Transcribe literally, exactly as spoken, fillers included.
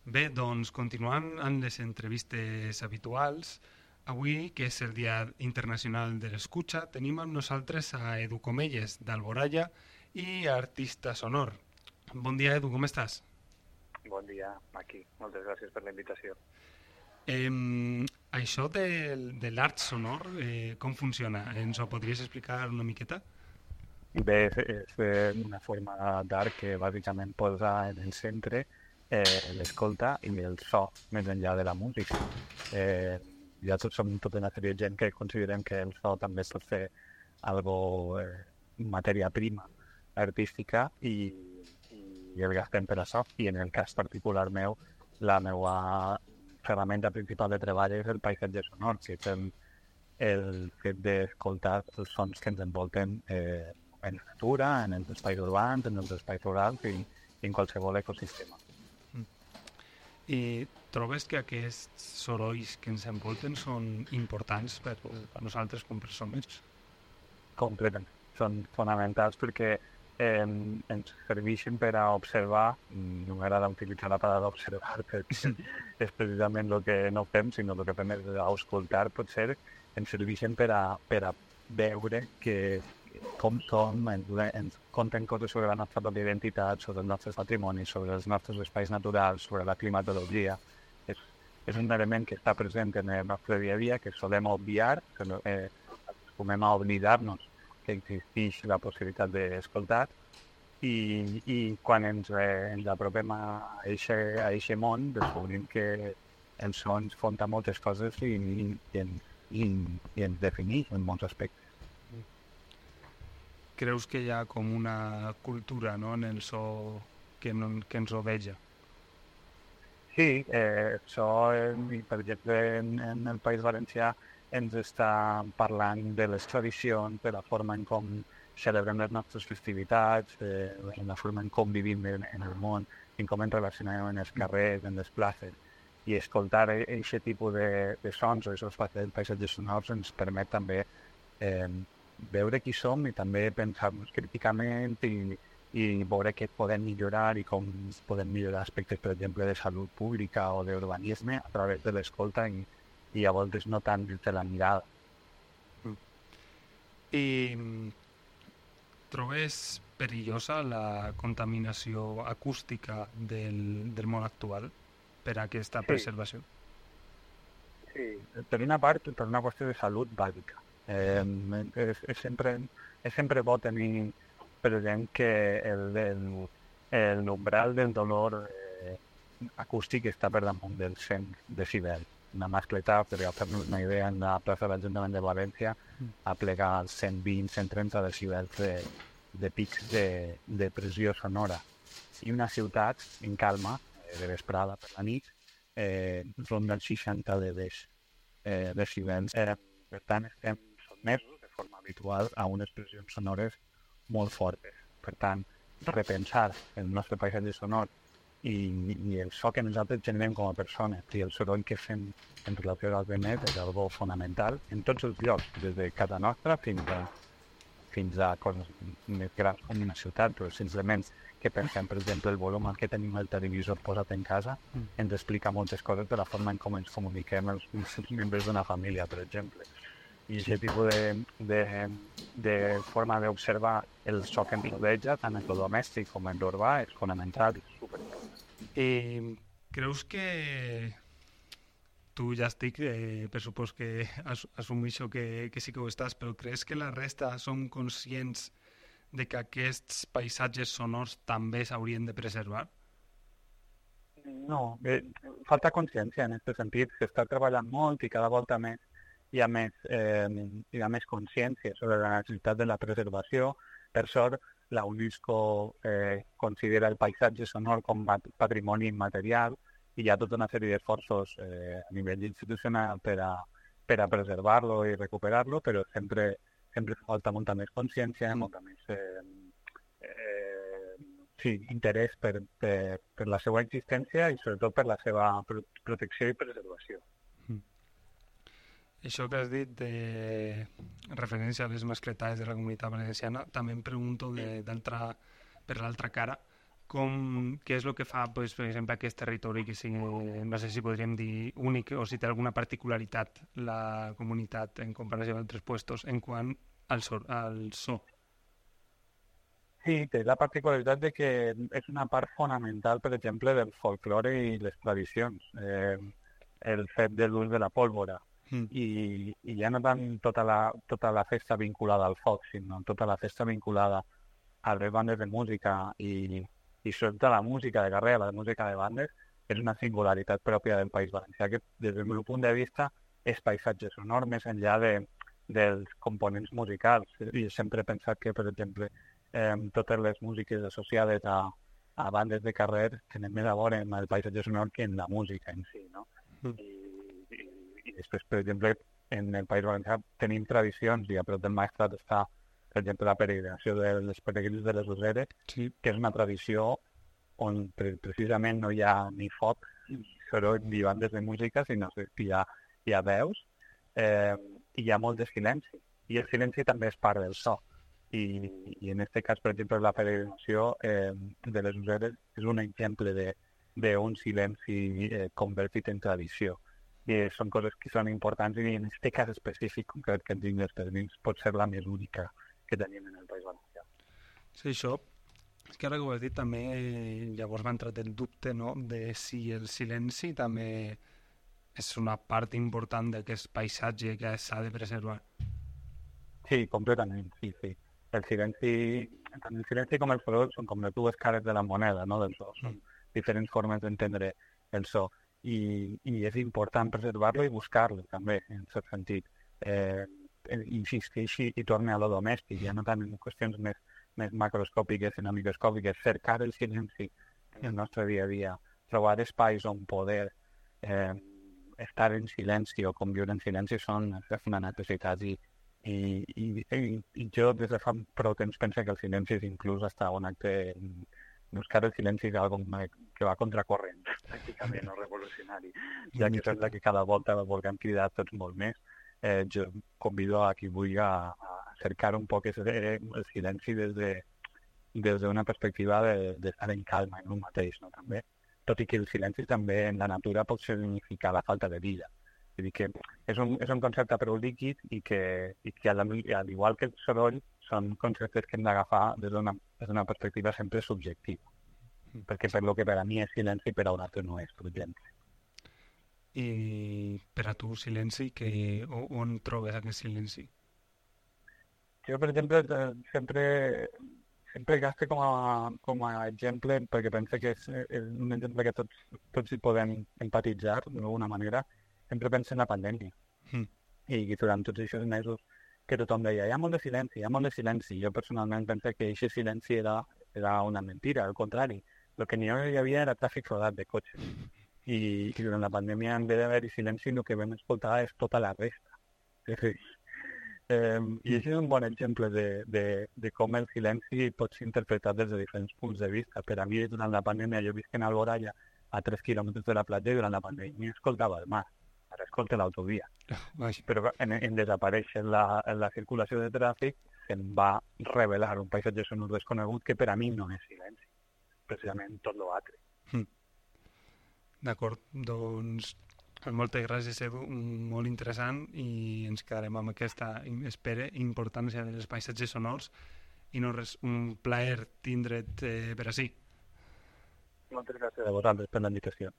Bé, doncs continuant amb les entrevistes habituals, avui, que és el Dia Internacional de l'Escucha, tenim amb nosaltres a Edu Comelles, d'Alboraya, i artista sonor. Bon dia, Edu, com estàs? Bon dia, aquí. Moltes gràcies per la invitació. Eh, això de, de l'art sonor, eh, com funciona? Ens ho podries explicar una miqueta? Bé, és, és eh, una forma d'art que bàsicament posa en el centre eh, l'escolta i el so, més enllà de la música. Eh, ja tots som tota una sèrie de gent que considerem que el so també pot ser algo eh, matèria prima artística i, i el gastem per això. I en el cas particular meu, la meva ferramenta principal de treball és el paisatge sonor, que és el, el fet d'escoltar els sons que ens envolten eh, en la natura, en els espais urbans, en els espais rurals i, i en qualsevol ecosistema. I trobes que aquests sorolls que ens envolten són importants per a nosaltres com persones? Completament. Són fonamentals perquè eh, ens serveixen per a observar, no m'agrada utilitzar la paraula observar perquè és precisament el que no fem, sinó el que fem és escoltar, potser ens serveixen per a, per a veure que com som, ens, ens conten coses sobre la nostra pròpia identitat, sobre els nostres patrimonis, sobre els nostres espais naturals, sobre la climatologia. És, és un element que està present en el nostre dia a dia, que solem obviar, que eh, acostumem a oblidar-nos que existeix la possibilitat d'escoltar, i, i quan ens, eh, ens apropem a aquest món, descobrim que els sons fonta moltes coses i, i, i, i, i ens defineix en molts aspectes. Creus que hi ha com una cultura, no?, en el so que, no, que ens rodeja? Sí, eh, això, eh, per exemple, en, en el País Valencià ens està parlant de les tradicions, de la forma en com celebrem les nostres festivitats, eh, en la forma en com vivim en, en el món, en com ens relacionem en els carrers, en les places. I escoltar aquest tipus de, de sons o aquests paisatges sonors ens permet també eh, veure qui som i també pensar-nos críticament i, i veure què podem millorar i com podem millorar aspectes, per exemple, de salut pública o d'urbanisme a través de l'escolta i, i a voltes no tant des de la mirada. Mm. I trobes perillosa la contaminació acústica del, del món actual per a aquesta Sí. preservació? Sí, per una part, per una qüestió de salut bàsica. Eh, és, és, sempre, és sempre bo tenir present que el, el, el umbral del dolor eh, acústic està per damunt dels cent decibels. Una mascleta, per fer-nos una idea, en la plaça de l'Ajuntament de València a plegar els cent vint a cent trenta decibels de, de pics de, de pressió sonora. I una ciutat en calma, eh, de vesprada per la nit, eh, ronda els seixanta decibels. Eh, decibels. Eh, per tant, estem sotmesos de forma habitual a unes pressions sonores molt fortes. Per tant, repensar el nostre paisatge sonor i, i el so que nosaltres generem com a persones i el soroll que fem en relació al venet és algo fonamental en tots els llocs, des de casa nostra fins a, fins a coses més grans com una ciutat, però simplement que pensem, per exemple, el volum que tenim el televisor posat en casa ens explica moltes coses de la forma en com ens comuniquem els, els membres d'una família, per exemple. I aquest tipus de, de, de forma d'observar el so que ens rodeja, tant en el domèstic com en l'urbà, és fonamental i superimportant. I creus que tu ja estic, eh, per supòs que as, assumeixo que, que sí que ho estàs, però creus que la resta som conscients de que aquests paisatges sonors també s'haurien de preservar? No, eh, falta consciència en aquest sentit, s'està treballant molt i cada volta més hi ha més, eh, hi ha més consciència sobre la necessitat de la preservació. Per sort, la UNESCO eh, considera el paisatge sonor com a patrimoni immaterial i hi ha tota una sèrie d'esforços eh, a nivell institucional per a, per a preservar-lo i recuperar-lo, però sempre, sempre falta molta més consciència, molta més eh, eh, sí, interès per, per, per la seva existència i sobretot per la seva pro protecció i preservació. Això que has dit de referència a les mascletades de la Comunitat Valenciana, també em pregunto de, per l'altra cara, com, què és el que fa, pues, per exemple, aquest territori que sigui, no sé si podríem dir únic o si té alguna particularitat la comunitat en comparació amb altres puestos en quant al so? Al so. Sí, té la particularitat de que és una part fonamental, per exemple, del folklore i les tradicions. Eh, el fet de l'ús de la pólvora. Mm. I, I ja no tant tota la, tota la festa vinculada al foc, sinó tota la festa vinculada a les bandes de música i, i sobretot la música de carrer, la música de bandes, és una singularitat pròpia del País Valencià, que des del meu punt de vista és paisatge sonor més enllà de, dels components musicals. I sempre he pensat que, per exemple, eh, totes les músiques associades a, a bandes de carrer tenen més a veure amb el paisatge sonor que en la música en si, no? Mm. I, i, I després, per exemple, en el País Valencià tenim tradicions, i a prop del Maestrat està, per exemple, la peregrinació dels peregrins de les Useres, sí. que és una tradició on pre precisament no hi ha ni foc, ni soroll, ni bandes de música, sinó que hi ha, hi ha veus, eh, i hi ha molt de silenci. I el silenci també és part del so. I, i en aquest cas, per exemple, la peregrinació eh, de les Useres és un exemple d'un silenci eh, convertit en tradició. I són coses que són importants i en aquest cas específic concret que tinc dels peregrins pot ser la més única que tenim en el País Valencià. Sí, això, és que ara que ho has dit també, eh, llavors m'ha entrat el dubte, no?, de si el silenci també és una part important d'aquest paisatge que s'ha de preservar. Sí, completament, sí, sí. El silenci, tant el silenci com el soroll són com les dues cares de la moneda, no?, del so. Són diferents formes d'entendre el so. I, i és important preservar-lo i buscar-lo, també, en cert sentit. Eh, insisteixi i torni a lo domèstic, ja no tant en qüestions més, més macroscòpiques i no microscòpiques, cercar el silenci en el nostre dia a dia, trobar espais on poder eh, estar en silenci o conviure en silenci són una necessitat i, i, i, i, i jo des de fa prou temps penso que el silenci és inclús hasta un acte. Buscar el silenci és algo que va contracorrent, pràcticament, o revolucionari, ja que sembla que cada volta volguem cridar tots molt més. Eh, jo convido a qui vulgui a, a cercar un poc el silenci des de des d'una perspectiva d'estar de, en calma en un mateix, no? També. Tot i que el silenci també en la natura pot significar la falta de vida. Vull dir que és un, és un concepte prou líquid i que, i que al igual que el soroll són conceptes que hem d'agafar des d'una perspectiva sempre subjectiva. Mm. Perquè per lo que per a mi és silenci, per a un altre no és, per exemple. I per a tu, silenci, que, on trobes aquest silenci? Jo, per exemple, sempre, sempre gasto com a, com a exemple, perquè penso que és, és un exemple que tots, tots hi podem empatitzar d'alguna manera, sempre penso en la pandèmia. Mm. I durant tots aquests mesos que tothom deia, hi ha molt de silenci, hi ha molt de silenci. Jo personalment penso que aquest silenci era, era una mentira, al contrari. El que n'hi havia era tràfic rodat de cotxes. I, i durant la pandèmia, en vez d'haver-hi silenci, el que vam escoltar és tota la resta. És a dir, eh, I això és un bon exemple de, de, de com el silenci pot ser interpretat des de diferents punts de vista. Per a mi, durant la pandèmia, jo visc en Alboraya, a tres quilòmetres de la platja, i durant la pandèmia escoltava el mar. Ara escolta l'autovia. Però en, en desaparèixer la, la circulació de tràfic se'n va revelar un paisatge sonor desconegut que per a mi no és silenci, precisament tot l'altre. Mm. D'acord, doncs moltes gràcies, Edu, molt interessant, i ens quedarem amb aquesta, espere, importància dels paisatges sonors, i no res, un plaer tindre't eh, per ací. Moltes gràcies a vosaltres per la invitació.